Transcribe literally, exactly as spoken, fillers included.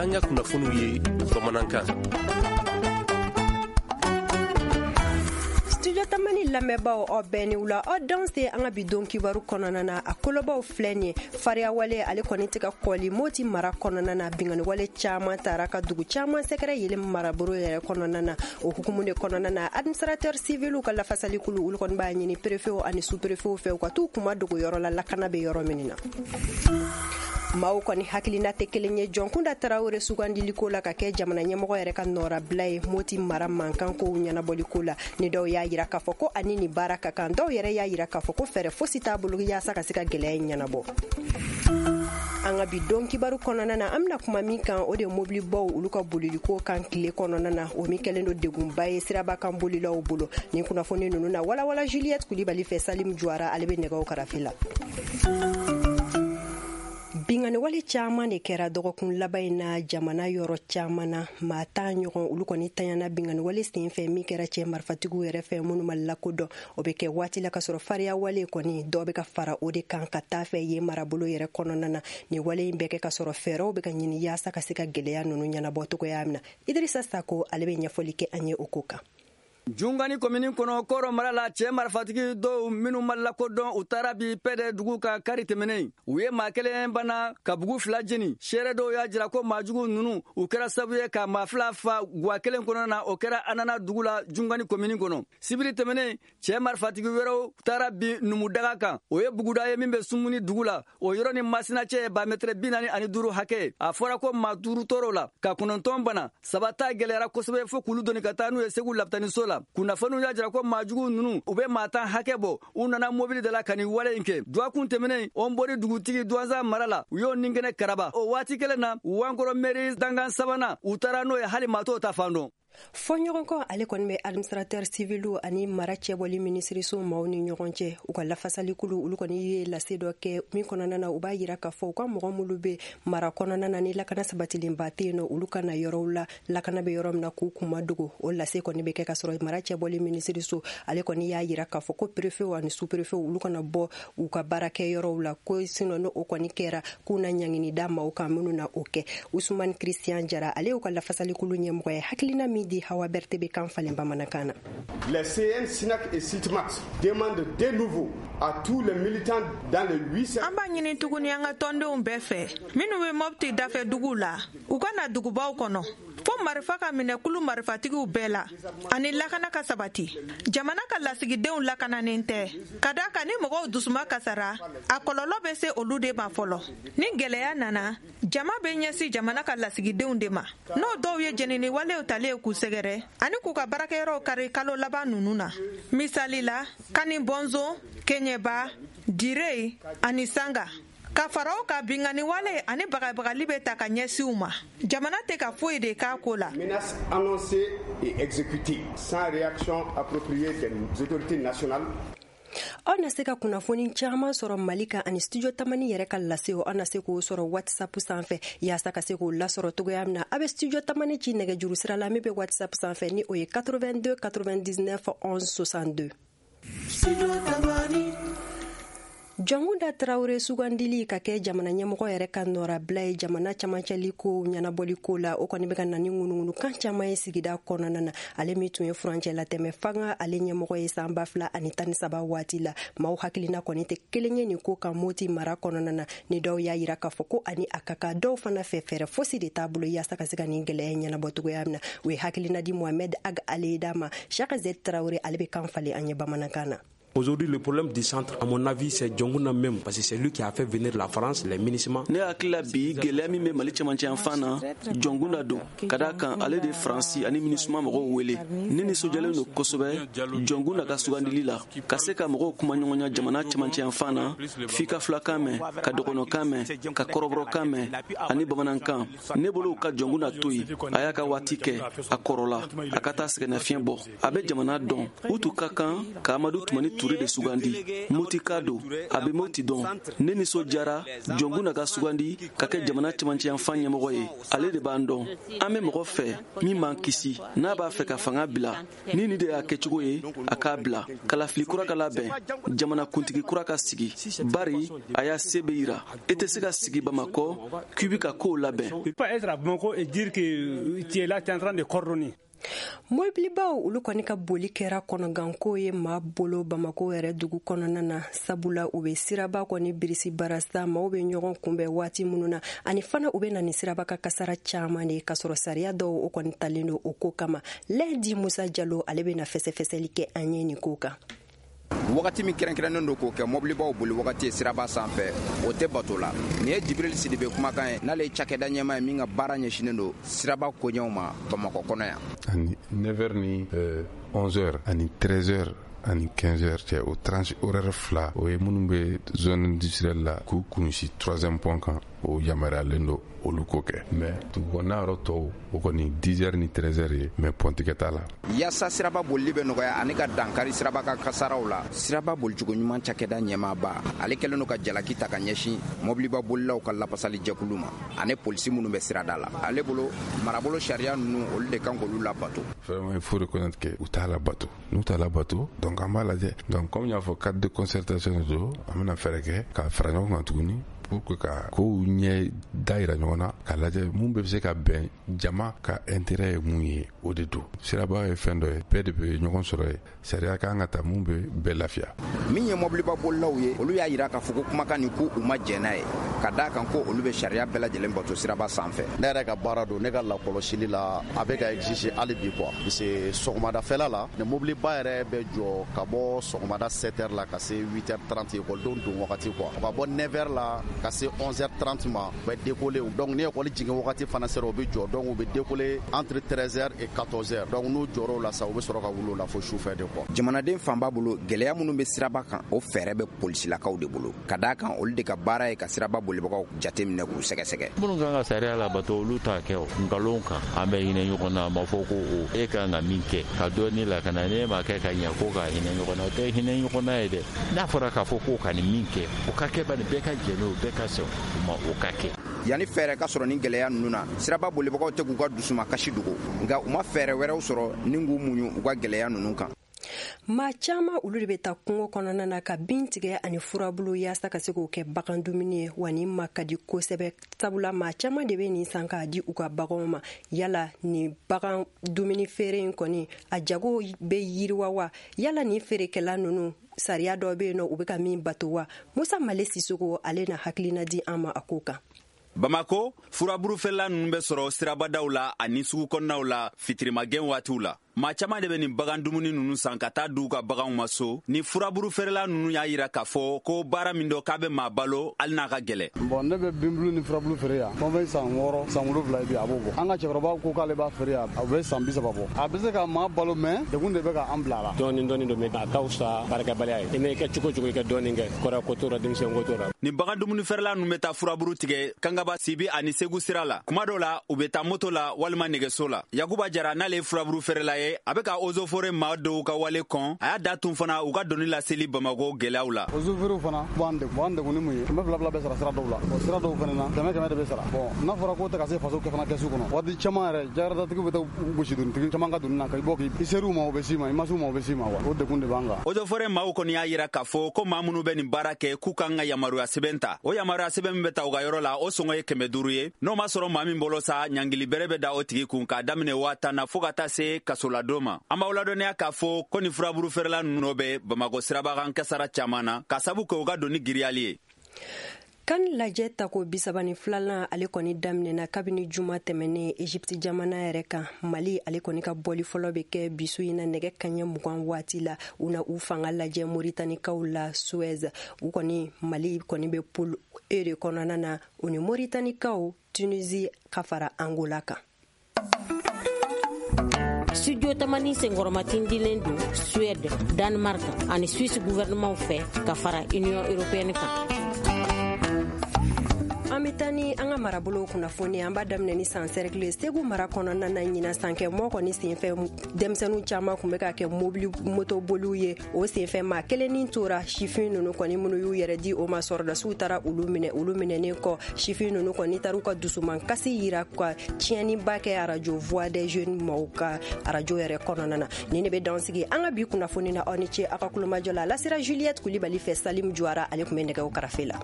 y'an ka kunnafoniw ye bamanankan. Studio Tamani lamɛnbaaw, aw bɛɛ ni wula, aw danse. An ka bi don kibaru kɔnɔna na, a kolobaw filɛ nin ye: fariya wale ale kɔni tɛ ka kɔli Moti mara kɔnɔna na. Binkanni wale caman taara ka dugu caman sɛgɛrɛ yelen marabolo yɛrɛ kɔnɔna na. O hukumu de kɔnɔna na, administrateur civil ka lafasalikulu, olu kɔni b'a ɲini préfet ani sous préfet fɛ, u ka t'u kuma dogo yɔrɔ la, lakana bɛ yɔrɔ min na. Maaw kɔni hakilina tɛ kelen ye Jɔnkunda Tarawele sugandiliko la ka kɛ jamana ɲɛmɔgɔ yɛrɛ ka nɔrabila ye Moti mara mankan kow ɲɛnabɔliko la. Ni dɔw y'a yira k'a fɔ ko ani nin baara ka kan, dɔw yɛrɛ y'a yira k'a fɔ ko fɛɛrɛ fosi t'a bolo yaasa ka se ka gɛlɛya in ɲɛnabɔ. An ka bi don kibaru kɔnɔna na, an bɛna kuma min kan, o de ye mobilibaw olu ka boliliko kan tile kɔnɔna na, o min kɛlen don degunba ye siraba kan bolilaw bolo. Nin kunnafoni ninnu na walawala Juliette Kulibali fɛ. Salim Juwara, ale bɛ nɛgɛw karafe la. Binkanni wale caman de kɛra dɔgɔkun laban in na jamana yɔrɔ caman na. Maa tan ɲɔgɔn, olu kɔni tanyana binkanni wale sen fɛ min kɛra cɛ marifatigiw yɛrɛ fɛ minnu ma lakodɔn. O bɛ kɛ waati la ka sɔrɔ fariya wale kɔni, dɔ bɛ ka fara o de kan ka taa fɛ yen marabolo yɛrɛ kɔnɔna na. Nin wale in bɛ kɛ ka sɔrɔ fɛɛrɛw bɛ ka ɲini yaasa ka se ka gɛlɛya ninnu ɲɛnabɔ cogoya min na. Idirisa Sako, ale bɛ ɲɛfɔli kɛ an ye o ko kan. Jungani komini kɔnɔ, Kɔrɔ mara la, cɛɛ marifatigi dɔw minnu ma lakodɔn, u taara bi Pɛdɛ dugu ka kari tɛmɛnen. U ye maa kelen bana ka bugu fila jeni. Seere dɔw y'a jira ko maajugu nunu, u kɛra sabu ye ka maa fila fa guwa kelen kɔnɔ na. O kɛra Anana dugu la, Jungani komini kɔnɔ. Sibiri tɛmɛnen, cɛɛ marifatigi wɛrɛw taara bi Numudaga kan. O ye buguda ye min bɛ Sumuni dugu la. O yɔrɔ ni Masina cɛ ye ba mɛtɛrɛ bi naani ani duuru hakɛ ye. A fɔra ko maa duuru tɔɔrɔ la, ka kɔnɔntɔn bana, saba ta gɛlɛyara kosɛbɛ fo k'olu doni ka taa n'u ye Segu lapitaniso la. Kunnafoniw y'a jira ko maajugu ninnu, u bɛ maa tan hakɛ bɔ. U nana mobili de la ka nin wale in kɛ. Dɔgɔkun tɛmɛnen, Ɔnbɔri dugutigi Duwanza mara la, u y'o ninkɛnɛ karaba. O waati kelen na, Wankɔrɔ mɛri dankan sabanan, u taara n'o ye, hali maa t'o ta fan dɔn. Fɔɲɔgɔnkɔ ale kɔni bɛ administrateur civil ani mara cɛbɔli minisiriso maaw ni ɲɔgɔn cɛ. U ka lafasalikulu, olu kɔni ye lase dɔ kɛ min kɔnɔna na, u b'a yira k'a fɔ u ka mɔgɔ minnu bɛ mara kɔnɔna na ni lakana sabatilenba tɛ yen nɔ, olu ka na yɔrɔw la, lakana bɛ yɔrɔ min na, k'u kuma dogo. O lase kɔni bɛ kɛ ka sɔrɔ mara cɛbɔli minisiriso ale kɔni y'a yira k'a fɔ ko préfet ani sous préfet, olu kana bɔ u ka baarakɛ yɔrɔw la, ko sinon n'o kɔni kɛra, k'u na ɲangini da maaw kan minnu na o kɛ. Usumani Christian Jara, ale y'u ka lafasalikulu ɲɛmɔgɔ ye, hakilina min di Hawa Berté bɛ kan falen bamanankan na. Les C N, SINAC et SITMAT demandent de nouveau à tous les militants dans les huit An b'a ɲini tuguni an ka tɔndenw bɛɛ fɛ minnu bɛ Mɔpti dafɛ duguw la, u ka na dugubaw kɔnɔ fo marifa ka minɛ kulu marifatigiw bɛɛ la ani lakana ka sabati. Jamana ka lasigidenw lakananen tɛ, ka da kan ni mɔgɔw dusuma kasara, a kɔlɔlɔ bɛ se olu de ma fɔlɔ. Ni gɛlɛya nana, jama bɛ ɲɛsin jamana ka lasigidenw de ma, n'o dɔw ye jenini walew talen k'u sɛgɛrɛ ani k'u ka baarakɛyɔrɔw kari kalo laban ninnu na, misali la Kani Bɔnzon, Keɲɛba, Dire ani Sanga. Ka fara o kan, binkanni wale ani bagabagali bɛ ta ka ɲɛsin u ma. Jamana tɛ ka foyi de k'a ko la. Menaces annoncées et exécutées sans réaction appropriée des autorités nationales. Aw na se ka kunnafoni caman sɔrɔ Mali kan ani Studio Tamani yɛrɛ ka lasew, aw na se k'o sɔrɔ WhatsApp sanfɛ. Yaasa ka se k'o lasɔrɔ togoya min na, a bɛ Studio Tamani ci nɛgɛjuru sira la min bɛ WhatsApp sanfɛ, ni o ye quatre-vingt-deux quatre-vingt-dix-neuf onze soixante-deux. Studio Tamani. Jɔnkunda Tarawele sugandili ka kɛ jamana ɲɛmɔgɔ yɛrɛ ka nɔrabila ye jamana camancɛli ko ɲɛnabɔli ko la, o kɔni bɛ ka na ni ŋunuŋunukan caman ye sigida kɔnɔna na. Ale min tun ye furancɛ latɛmɛ fanga ale ɲɛmɔgɔ ye san ba fila ani tan ni saba waati la, maaw hakilina kɔni tɛ kelen ye nin ko kan Moti mara kɔnɔna na. Ni dɔw y'a yira k'a fɔ ko ani a ka kan, dɔw fana fɛ, fɛɛrɛ fosi de t'a bolo yaasa ka se ka nin gɛlɛya ɲɛnabɔ cogoya min na. U ye hakilina di Mohamed Ag Aleda ma. Shaka Z Tarawele, ale bɛ kan falen an ye bamanankan na. Aujourd'hui, le problème du centre, à mon avis, c'est Dioncounda même, parce que c'est lui qui a fait venir la France, les MINUSMA. Ne hakili la, bi gɛlɛya min bɛ Mali cɛmancɛ yan fan na, Jɔnkunda don, ka da kan ale de Faransi ani MINUSMA mɔgɔw wele. Ne nisɔndiyalen don kosɛbɛ Jɔnkunda ka sugandili la. Ka se ka mɔgɔw kuma ɲɔgɔnya jamana cɛmancɛ yan fan na, f'i ka filakan mɛn, ka dɔgɔnɔkan mɛn, ka kɔrɔbɔrɔkan mɛn ani bamanankan. Ne bolo, ka Jɔnkunda to yen, a y'a ka waati kɛ, a kɔrɔla, a ka taa sɛgɛnnafiɲɛ bɔ. A bɛ jamana dɔn. U tun ka kan ka Amadu Tumani. Ture de sugandi. Motika don, a bɛ Moti dɔn. Ne nisɔndiyara Jɔnkunda ka sugandi ka kɛ jamana cɛmancɛyanfan ɲɛmɔgɔ ye. Ale de b'an dɔn. An bɛ mɔgɔ fɛ min b'an kisi. N'a b'a fɛ ka fanga bila, ni nin de y'a kɛcogo ye, a k'a bila. Kalafili kura ka labɛn, jamanakuntigi kura ka sigi. Bari a y'a se bɛ yira. E tɛ se ka sigi Bamakɔ k'i bɛ ka kow labɛn. Mobilibaw olu kɔni ka boli kɛra kɔnɔganko ye maa bolo Bamako yɛrɛ dugu kɔnɔna na, sabula u bɛ siraba kɔni birisi barasa, maaw bɛ ɲɔgɔn kunbɛn waati minnu na, ani fana u bɛ na ni siraba ka kasara caman de k'a sɔrɔ sariya dɔw o kɔni talen don o ko kama. Lɛdi Musa Jalo ale bɛ na fɛsɛfɛsɛli kɛ an ye nin ko kan. Wagati min kɛrɛnkɛrɛnnen don k'o kɛ mobilibaw boli wagati ye siraba sanfɛ, o tɛ bato la. Nin ye Jibril Sidibe kumakan ye, n'ale ye cakɛda ɲɛmaa ye min ka baara ɲɛsinnen don siraba koɲɛw ma Bamakɔ kɔnɔ yan. Ani neuf heures ni onze heures ani treize heures ani quinze heures cɛ, o tranche horaire fila, o ye minnu bɛ zone industrielle la k'u kunsi troisième pont kan, o yamaruyalen don olu ko kɛ. Mais dugu kɔnɔna yɔrɔ tɔw, o kɔni dix heures ni treize heures ye, mais pont tigɛ t'a la. Yaasa siraba bolili bɛ nɔgɔya ani ka dankari siraba ka kasaraw la, siraba bolicogo ɲuman cakɛda ɲɛmaaba ale kɛlen don ka jalaki ta ka ɲɛsin mobiliba bolilaw ka lapasali jɛkulu ma ani polisi minnu bɛ sirada la. Ale bolo, marabolo sariya ninnu, olu de kan k'olu labato. Vraiment, il faut reconnaître que u t'a labato. N'u t'a labato, donc an b'a lajɛ. Donc comme n y'a fɔ, cadre de concertation de don, an bɛna fɛɛrɛ kɛ ka fara ɲɔgɔn kan tuguni pour que ka kow ɲɛ da yira ɲɔgɔn na, k'a lajɛ mun bɛ se ka bɛn jama ka intérêt ye mun ye, o de don. Siraba ye fɛn dɔ ye, bɛɛ de bɛ ɲɔgɔn sɔrɔ ye, sariya kan ka ta mun bɛ bɛɛ lafiya. Min ye mobiliba bolilaw ye, olu y'a yira k'a fɔ ko kumakan nin ko u ma jɛn n'a ye, ka d'a kan ko olu bɛ sariya bɛɛ lajɛlen bato siraba sanfɛ. Ne yɛrɛ ka baara don, ne ka lakɔlɔsili la, a bɛ ka exiger hali bi quoi, parce que sɔgɔmadafɛla la, ni mobiliba yɛrɛ bɛ jɔ ka bɔ sɔgɔmada sept heures la ka se huit heures trente ekɔlidenw don wagati quoi, ka bɔ neuf heures la ka se onze heures trente ma, u bɛ décoller. Donc ni ekɔli jigin wagati fana sera, u bɛ jɔ, donc u bɛ décoller entre treize heures et quatorze heures. Donc n'u jɔr'o la sa, u bɛ sɔrɔ ka wuli o la fo sufɛ de quoi. Jamanaden fanba bolo, gɛlɛya minnu bɛ siraba kan, o fɛɛrɛ bɛ polisilakaw de bolo, ka d'a kan olu de ka baara ye ka siraba bolibagaw jateminɛ k'u sɛgɛsɛgɛ. Minnu kan ka sariya labato, olu t'a kɛ o. Nkalon kan, an bɛ hinɛ ɲɔgɔn na, a ma fɔ ko o e kan ka min kɛ ka dɔɔni lakana, n'e m'a kɛ ka ɲɛ ko ka hinɛ ɲɔgɔn na, o tɛ hinɛ ɲɔgɔn na ye dɛ. N'a fɔra k'a fɔ k'o ka nin min kɛ, o ka kɛ bani, bɛɛ ka jɛ n'o, bɛɛ ka sɔn o ma, o ka kɛ. Yanni fɛɛrɛ ka sɔrɔ ni gɛlɛya ninnu na, siraba bolibagaw tɛ k'u ka dusumakasi dogo, nka u ma fɛɛrɛ wɛrɛw sɔrɔ ni k'u muɲu u ka gɛlɛya ninnu kan. Maa caman olu de bɛ taa kungo kɔnɔna na ka bin tigɛ ani furabulu yaasa ka se k'o kɛ bagan dumuni ye, wa nin ma ka di kosɛbɛ, sabula maa caman de bɛ nin san k'a di u ka baganw ma. Yala nin bagan dumuni feere in kɔni, a jago bɛ yiriwa wa? Yala nin feerekɛla ninnu, sariya dɔ bɛ yen nɔ u bɛ ka min bato wa? Musa Male Sisoko ale na hakilina di an ma a ko kan. Bamako, furaburufeerela ninnu bɛ sɔrɔ sirabadaw la ani sugu kɔnɔnaw la fitirimagɛn waatiw la. Maa caman de bɛ nin bagan dumuni ninnu san ka taa d'u ka baganw ma so. Ni furaburufeerela ninnu y'a yira k'a fɔ ko baara min dɔ k'a bɛ maa balo hali n'a ka gɛlɛn. Bon, ne bɛ binbulu ni furabulu feere yan. Fɛn fɛn san wɔɔrɔ, san wolonwula bi a b'o bɔ. An ka cɛkɔrɔba ko k'ale b'a feere yan, a bɛ san bi saba bɔ. A bɛ se ka maa balo, mais degun de bɛ ka an bila a la. Dɔɔni dɔɔni don, mais a ka fisa baarakɛbaliya ye. I mɛ kɛ cogo cogo, i ka dɔɔni kɛ. Kɔrɔ ko t'o la, denmisɛn ko t'o la. Nin bagan dumuni feerela ninnu bɛ taa furaburu tigɛ Kangaba, Sibi ani Segu sira la. Kuma dɔw la, u bɛ taa moto la walima nɛgɛso la. Yakuba Jara, n'ale ye furaburu feerela ye, a bɛ ka ozofore maa dɔw ka wale kɔn. A y'a da tun fana u ka doni laseli Bamakɔ gɛlɛyaw la. Ozoforew fana b'an degun, b'an degun ni mun ye? Kɛmɛ fila fila bɛ sara sira dɔw la, bon sira dɔw fana na kɛmɛ kɛmɛ de bɛ sara. Bon n'a fɔra k'o tɛ ka se faso kɛ fana kɛsu kɔnɔ, waati caman yɛrɛ jakaratatigiw bɛ taa gosi donitigi caman ka doni na ka bɔ k'i ser'u ma, u bɛ s'i ma, i ma s'u ma, u bɛ s'i ma wa. O degun de b'an kan. Ozofore maaw kɔni y'a yira k'a fɔ ko maa minnu bɛ nin baara kɛ, k'u kan ka yamaruya sɛbɛn ta. O yamaruya sɛbɛn min bɛ ta u ka yɔrɔ la, o sɔngɔ ye kɛmɛ duuru ye. N'o ma sɔrɔ maa min bolo sa, ɲangili bɛrɛ bɛ da o tigi kun k'a daminɛ waa tan na fo ka taa se kasoladon ma. An b'aw ladɔnniya k'a fɔ ko nin furaburu feerela ninnu bɛ Bamakɔ sirabakan kasara caman na ka sabu kɛ u ka doni giriyali ye. Kan lajɛ tako bisaba ni filanan ale kɔni daminɛna kabini juma tɛmɛnen Egypte jamana yɛrɛ kan. Mali ale kɔni ka bɔli fɔlɔ bɛ kɛ bisu in na nɛgɛ kanɲɛ mugan waati la. U na u fanga lajɛ Moritanikaw la Suez. U kɔni Mali kɔni bɛ poule E de kɔnɔna na, u ni Moritanikaw, Tunisie ka fara Angola kan. Studio Tamani senkɔrɔmatindilen don Suède, Danemark ani Suisse gouvernement fɛ ka fara Union européenne kan. An An bɛ taa ni an ka marabolow kunnafoni. An b'a daminɛ ni San Cercle, Segu mara kɔnɔna na. Ɲinan sankɛ mɔ kɔni senfɛ, denmisɛnninw caman tun bɛ ka kɛ mobili motoboliw ye. O senfɛ, maa kelen ni tora. Sifin ninnu kɔni minnu y'u yɛrɛ di o ma, sɔrɔdasiw taara olu minɛ. Olu minɛnen kɔ, sifin ninnu kɔni taara u ka dusuman kasi yira ka tiɲɛniba kɛ arajo Voix des Jeunes maaw ka arajo yɛrɛ kɔnɔna na. Nin de bɛ dan sigi an ka bi kunnafoni na. Aw ni ce aw ka kulomajɔ la. A lasera Juliette Kulibali fɛ. Salim Juwara, ale tun bɛ nɛgɛw karafe la.